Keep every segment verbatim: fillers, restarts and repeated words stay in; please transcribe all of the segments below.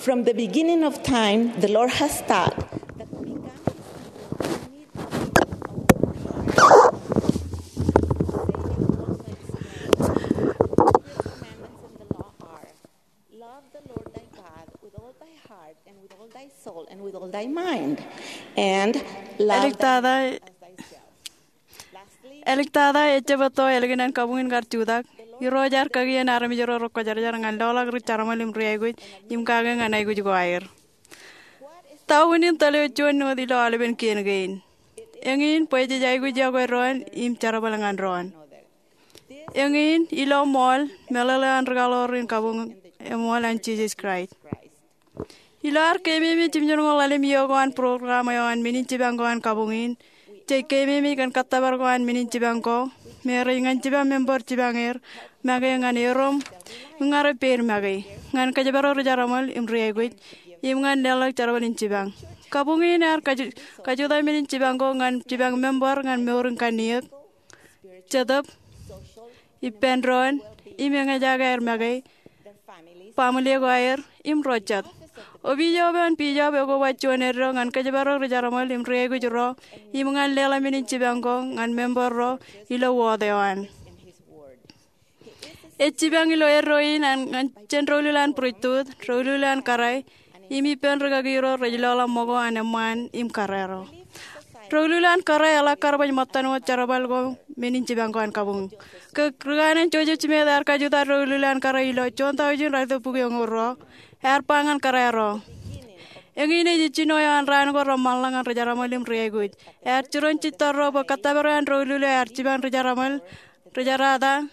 From the beginning of time, the Lord has taught that to become his people, we need to be obedient. Saving all the commandments in the law are: Love the Lord thy God with all thy heart and with all thy soul and with all thy mind, and love thy neighbor as thyself. Āliktata, ejjab etto ālikin an kabuñ in kar jutak. Irooj ear kakien armej ro rekwōjarjar ñan loḷọk ri jerbal im ri aikuj im kake ñan aikuj ko aer. Ta unin tōl eo juon wōt ilo aolepen kien kein? Eñin bwe jej aikuj iọkwe doon im jerbal ñan doon. Eñin ilo ṃool, meḷeḷe an rikaḷoor in kabuñ eṃool an Jisōs Kraist. Ilo ad keememej im jino ḷalem iiō ko an program eo an men in jipañ ko an kabuñ in, jej keememej kōn kōttōpar ko an men in jipañ ko, me rej ñan jipañ member jipañ er, make ñan erom, im ña rej peid make, ñan kōjparok ri jerbal im ri aikuj, im ñan leḷọk jerbal in jipañ. Kabuñ in ear kaju-, kajutak men in jipañ ko ñan jipañ member ñan mour in kanniōk, jetōb, ippān doon, im eñejak aer make, baaṃle ko aer, im ro jet. Opiij eo an bishop ekoba juon eddo ñan kōjparok ri jerbal im ri aikuj ro, im ñan leḷọk men in jipañ ko ñan member ro ilo wōt eo an. Ej jipañ ilo eddo in an ñan jān doulul an priesthood, doulul an kōrā, im ippān rikaki ro rej loḷọk ṃōko an eṃṃaan im kōrā ro. Doulul an kōrā eḷak kar baj ṃōttan wōt jerbal ko men in jipañ ko an kabuñ. Ke ri kanaan Joseph Smith ear kajutak doulul an kōrā ilo juon taujin ralitōk bukwi eñoul ruo, ear ba ñan kōrā ro. Eñin ej jino eo an raan ko reṃṃanḷọk ñan ri jerbal im ri aikuj. Ear jiroñ jitōl ro bwe kōttōpar eo an doulul eo ear jipañ ri jerbal, ri jerata,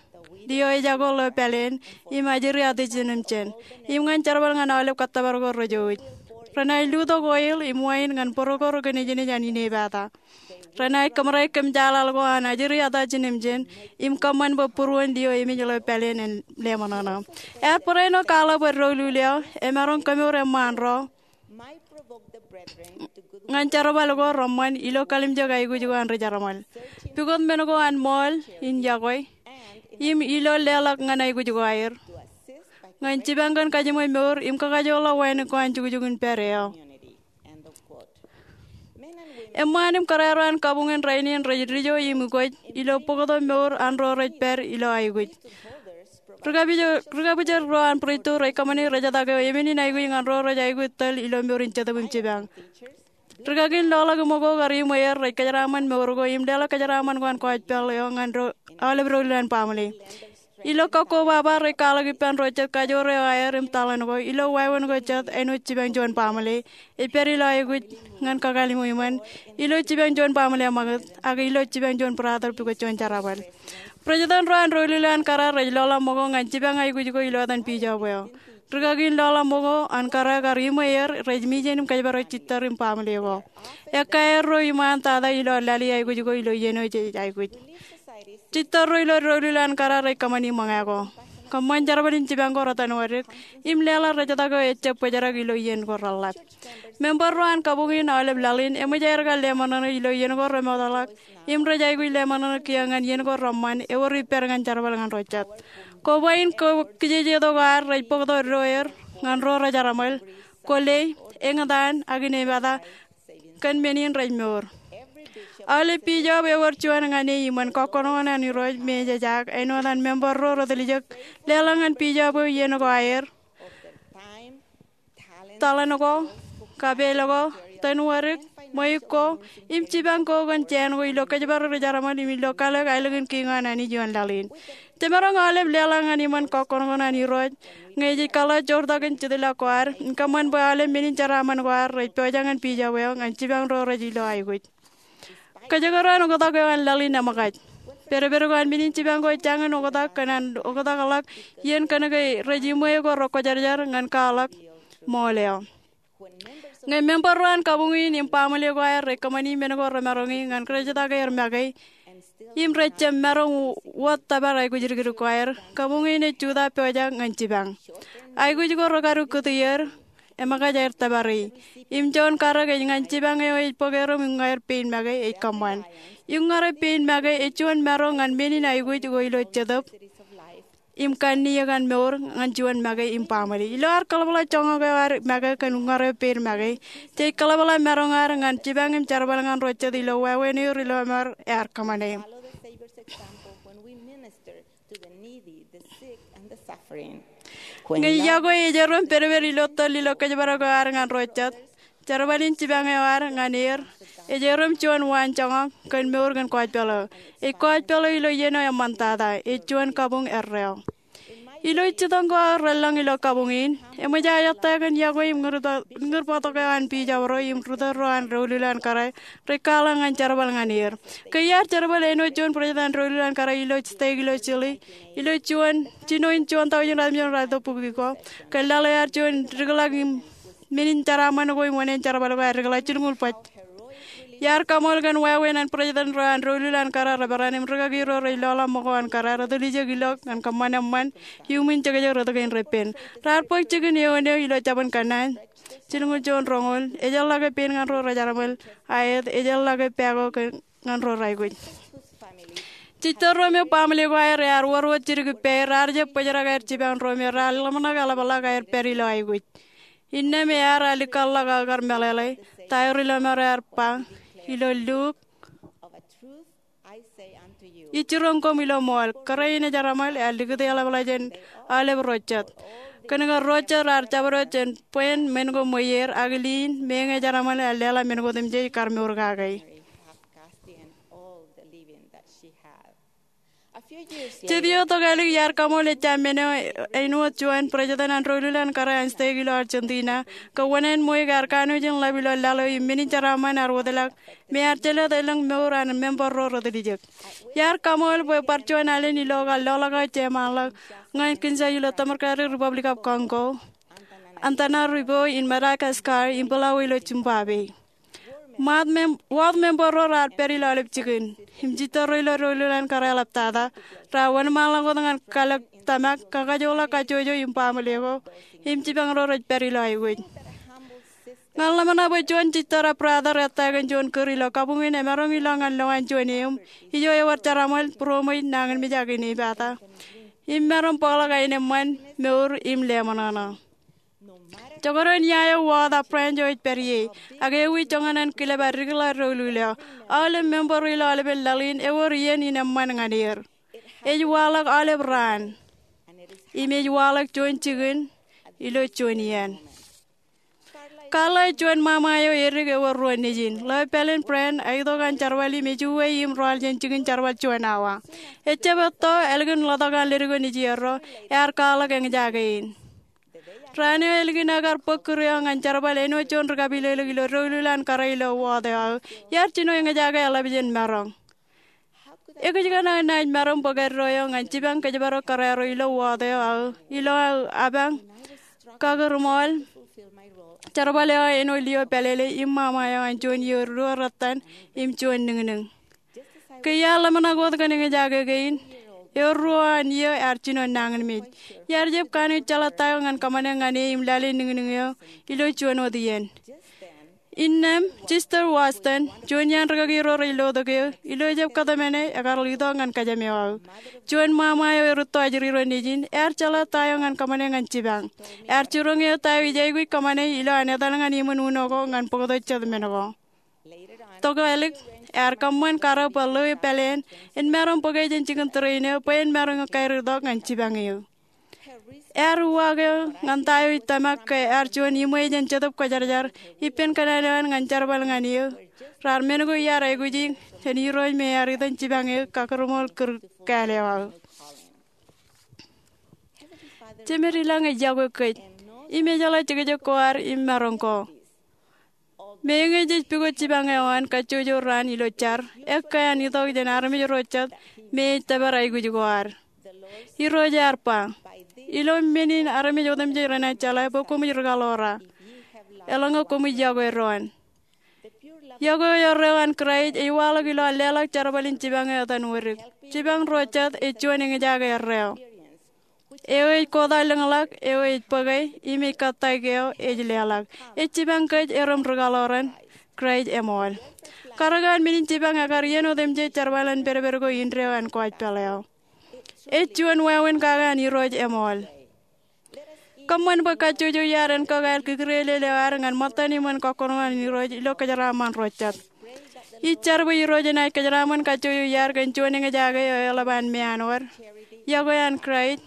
lio ejako ḷeo pāleen, im ajri atijinōmjin, im ñan jerbal ñan aolep kōttōpar ko rejouj. Renaaj lutōk oil im wain ñan bōro ko rekōnejnej an inepata. Renaaj kōṃōrā kōmjaaḷaḷ ko an ajri atijinōmjin, im kōṃṃan bwe būruon lio emej ḷeo pāleen en leṃōṇōṇō. Ear barāinwōt kwaḷọk bwe doulul eo emaroñ kemour eṃṃaan ro ñan jerbal ko reṃṃan ilo kalimjek aikuj ko an ri jerbal. Pukot men ko an ṃool in iọkwe im ilo leḷọk ñan aikuj ko aer ñan jipañ kōn kajiṃwe mour im kakajoorḷọk wānōk ko an jukjuk in pād eo. Eṃṃaan im kōrā ro an kabuñ in rainin rej dijo im ukwōj ilo bōktok mour an ro rej pād ilo aikuj. Ri kabwijer, ri kabwijer ro an priesthood rej kōṃṃani rejetak eo emen in aikuj ñan ro rej aikuj tōl ilo mour in jetōb im jipañ. Rikaki in loḷọk ṃōko kar iṃwe er rej kōjeraaṃṃan mour ko im leḷọk kōjeraaṃṃan ko an gospel eo ñan ro aolep doulul an baaṃle. Ilo kakkobaba rej kwaḷọk ippān ro jet kajoor eo aer im taḷan ko ilo wāween ko jet āinwōt jipañ juon baaṃle ej pād ilo aikuj ñan kakālimo iṃōn, ilo jipañ juon baaṃle eṃṃakūt, ak ilo jipañ juon brother pukot juon jerbal. President ro an doulul an kōrā rej loḷọk ṃōko ñan jipañ aikuj ko ilo etan bishop eo. Rikaki in loḷọk ṃōko an kōrā kar iṃwe er rej mijen im kōjparok jitōr im baaṃle ko. Ekkā erro iṃaan tata ilo lale aikuj ko ilo iien eo jej aikuj. Jitōrro ilo doulul an kōrā rej kōṃṃani ṃōñā ko. Kōṃṃan jerbal in jipañ ko retanwōdik im leḷọk rejetak eo ejjab bōjrak ilo iien ko reḷap. Member ro an kabuñ in aolep laḷ in eṃōj aer kar leṃōṇōṇō ilo iien ko remootḷọk im rej aikuj leṃōṇōṇō kiiō ñan iien ko reṃṃan ewōr ippād ñan jerbal ñan ro jet. Koba in ko kijejeto ko ad rej bōktok eddo er ñan ro rej jerbal, kwōle, eñtaan, ak inepata kōn men in rej mour. Aolep bishop ewōr juon ñan e iṃōn kọkkọṇoṇoṇ an Irooj me ejejak āinwōt an member ro retiljek leḷọk ñan bishop eo iien ko aer, taḷan ko, kapeel ko, tanwōdik, ṃweiuk ko, im jipañ ko kōn jāān ko ilo kōjparok ri jerbal im ilo kalōk aelōñ in kiiñ an Anij ioon laḷ in. Jemaroñ aolep leḷọk ñan iṃōn kọkkọṇoṇoṇ an Irooj ñe jej kaḷọk joortak in jetōb ko ad im kōṃṃan bwe aolep men in jeraaṃṃan ko ad rej pojak ñan bishop eo ñan jipañ ro rej ilo aikuj. Kōjekdọọn oktak eo an laḷ in eṃōkaj. Pedped ko an men in jipañ ko ej jañin oktak kōn an oktakḷọk iien kōnke rej iṃwe ko rekwōjarjar ñan kwaḷọk ṃool eo. Ñe member ro an kabuñ in im baaṃle ko aer rej kōṃṃani men ko remaroñi ñan rejetak er make im rej jab maroñ wōt tōpar aikuj dikdik ko aer, kabuñ in ej jutak pojak ñan jipañ. Aikuj ko rekadu kūti er, eṃōkaj aer tōpari. Im juon karōk ej ñan jipañ eo ej bōk erom im ñe aer pein make ej kōṃṃan. Im ñe rej pein make ej juon maroñ ñan men in aikuj ko ilo jetōb. im kanniōk an mour ñan juon make im baaṃle. Ilo ad kaḷapḷọk joñak eo ad make kōn uññār eo peid make, jej kaḷapḷọk maroñ ad ñan jipañ im jerbal ñan ro jet ilo wāween eo ri-lọmọọr ear kōṃṃane. Ñe iọkwe ej erom pedped ilo tōl ilo kōjparok eo ad ñan ro jet, jerbal in jipañ eo ad ñan er ej erom juon waanjoñak kōn mour kōn kōjpeḷ eo. Ej kōjpeḷ eo ilo iien eo eṃṃantata, ej juon kabuñ erreo. Ilo ij jitōñ ko aō relōñ ilo kabuñ in, eṃōj aō ettā kōn iọkwe im ñūr bōktok eo an biij abro im ri-tōl ro an doulul an kōrā rej kwaḷọk ñan jerbal ñan er. Ke iar jerbal āinwōt juon bwidej an doulul an kōrā ilo stek ilo Chile ilo juon, jino in juon taujin ratimjuon ratimjuon bukwi ko, ke laḷ eo ear juon dikḷọk im men in jeraaṃṃan ko im wōṇāān jerbal ko ear dikḷọk jilñuul bōjrak. Iar kaṃool kōn wāween an bwidej ro an doulul an kōrā reperan im rikaki ro rej lọḷọk ṃōko an kōrā rej tiljek ilo ñan kōṃṃan eṃṃan iuṃwin jekjek rot kein repen. Raar bōk jikin eoon eo ilo jabōn kōnnaan. Jilñuul juon roñoul, ejjeḷọke pein ñan ro rej jeraaṃṃan aet, ejjeḷọke pako ñan ro rej aikuj. Jistōr ro me baaṃle ko aer ear wōr wōt jidik ippāer, raar jab bōjrak aer jipañ ro me raar ḷōmṇak eḷapḷọk aer pād ilo aikuj. Innām ear alikkar ḷọk aō kar meḷeḷe ta eo ri-lọmọọr ear ba ilo Luk, Ij jiroñ koṃ ilo ṃool, kōrā in ejeraṃōl ear likūt eḷapḷọk jān aolep ro jet. Kōnke ro jet raar jabdewōt jān bwāān men ko ṃweier, ak liin, meñe ejeraṃōl ear leḷọk men ko otemjej kar mour kake. Jet ioon tokālik iar kaṃool ejja men eo āinwōt juon bwidej an doulul an kōrā an stek ilo Argentina, ke wōṇāān ṃweiuk ear kanooj in ḷap ilo laḷ eo im men in jeraaṃṃan ear wōtlọk, me ear jelōt elōñ mour an member ro retiljek. Iar kaṃool bwe bar juon alen ilo kar loḷọk aō jeṃaanḷọk ñan Kinshasa ilo Democratic Republic of Congo, Antananarivo in Madagascar, im Bulawayo ilo Zimbabwe. Wōt member ro raar pād ilo aolep jikin, im jistōr ro ilo doulul an kōrā eḷaptata, raar wōnṃaanḷọk wōt ñan kalōk tōmak, kakajoḷọk kajjojo im baaṃle ko, im jipañ ro rej pād ilo aikuj. Ña ḷōmṇak bwe juon jistōr eo brother ettā kōn juon kūr ilo kabuñ in emaroñ ilọk ñan lowaan juon eum ijo ewōr jeraaṃṃan, būroṃōj, nañinmej ak inepata, im maroñ bōkḷọk aenōṃṃan, mour im leṃōṇōṇō. Jekdọọn ia eo wōt ak branch eo ej pād ie, ak ewi joñan an kilep aō dikḷọk doulul eo, aolep member ro ilo aolepen laḷ in ewōr iien in eṃṃan ñan er. Ej waḷọk aolep raan, im ej waḷọk juon jikin ilo juon iien. Carla ej juon ṃaṃa eo edik ewōr ruo nejin. Ḷeo pālen Brent ej itok an jerbal im ej uwe im rọọl jān jikin jerbal juon awa. Ejjab etto ālikin ḷotak an ledik eo nejierro, ear kwaḷọk eñjake in. Raan eo ālikin aō kar bōk kūr eo ñan jerbal āinwōt juon ri-kapilōklōk ilo doulul an kōrā ilo wōt eo aō, iar jino eñjake eḷap jān maroñ. Ekōjkan aō naaj maroñ bōk eddo eo ñan jipañ kōjparok kōrā ro ilo wōt eo aō ilo aō apañ kakūrṃool jerbal eo aō āinwōt lio pālele im ṃaṃa eo an juon iiō ruo rōttan im juon niñniñ. Ke iar ḷōmṇak wōt kōn eñjake kein, eo ruo an iiō ear jino nañinmej. Iar jab kanooj jeḷā ta eo ñan kōṃṃane ñan e im lale niñniñ eo ilo juon wōt iien. Innām, Sister Watson, juon iaan rikaki ro rej lotok eō, ilo ejjab kōtmāne ekar itok ñan kōjām eo aō. Juon ṃaṃa eo erūtto ajri ro nejin, ear jeḷā ta eo ñan kōṃṃane ñan jipañ. Ear jiroñ eō ta eo ij aikuj kōṃṃane ilo an etal ñan iṃōn uno ko ñan bōktok jet men ko. Tokālik, ear kōṃṃan karōk bwe ḷeo pāleen en maroñ bōke jān jikin train eo bwe en maroñ kaiur itok ñan jipañ eō. Ear uwaak eō ñan ta eo ej tōmak ke ear juon iṃwe jān Jetōb Kwōjarjar ippān kōṇaan eo an ñan jerbal ñan eō. Raar men ko iar aikuji jān Irooj me ear itok jipañ eō kakūrṃool kūr kāāl eo aō. Jemed ilañ ej iọkwe kōj im ejeḷā jekjek ko ad im maroñ ko. Meñe jej pukot jipañ eo an kajjojo raan ilo jar, ekkā an itok jān armej ro jet me ej tōpar aikuj ko ad. Irooj ear ba, ilo men in armej otemjej renaaj jeḷā bwe koṃij rikaḷoora, eḷaññe koṃij iọkwe doon. Iọkwe eo erreo an Kraist ej waḷọk ilo an leḷọk jerbal in jipañ eo etan wōdik. Jipañ ro jet ej juon eñjake erreo eo ej kotailōñḷọk, eo ej bōke, im ej kōttāik eo ej leḷọk. Ej jipañ kōj erom rikaḷooran Kraist eṃool. Karōk an men in jipañ ekar iien otemjej jerbal an pedped ko indeeo an kōjpeḷ eo. Ej juon wāween kake an Irooj eṃool. Kōṃṃan bwe kajjojo iaad en kōkāāl kōkūrelel eo ad ñan ṃōttan iṃōn kọkkure an Irooj ilo kōjeraaṃṃan ro jet. Ij jar bwe Irooj enaaj kōjeraaṃṃan kajjojo iaad kōn juon eñjake eo eḷap an meanwōd, yokwe an Kraist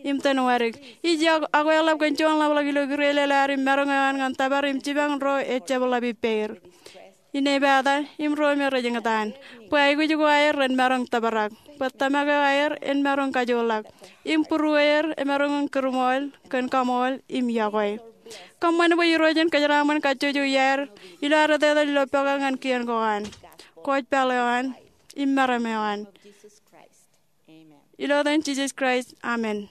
im tōn wōdik. Ij yokwe, ak eḷap kōn juon ḷapḷọk ilo kūrelel ad im maroñ eo an ñan tōpar im jipañ ro ejjab ḷap ippāer, inepata, im ro me rej eñtaan, bwe aikuj ko aer ren maroñ tōprak, bwe tōmak eo aer en maroñ kajoorḷọk, im būrueer emaroñ in kūrṃool kōn kaṃool im yokwe. Kōṃṃan bwe Irooj en kōjeraaṃṃan kajjojo iaad ilo ad etetal ilo pokake ñan kien ko an, kōjpaḷ eo an, im meram eo an. Ilo etan Jisōs Kraist, amen.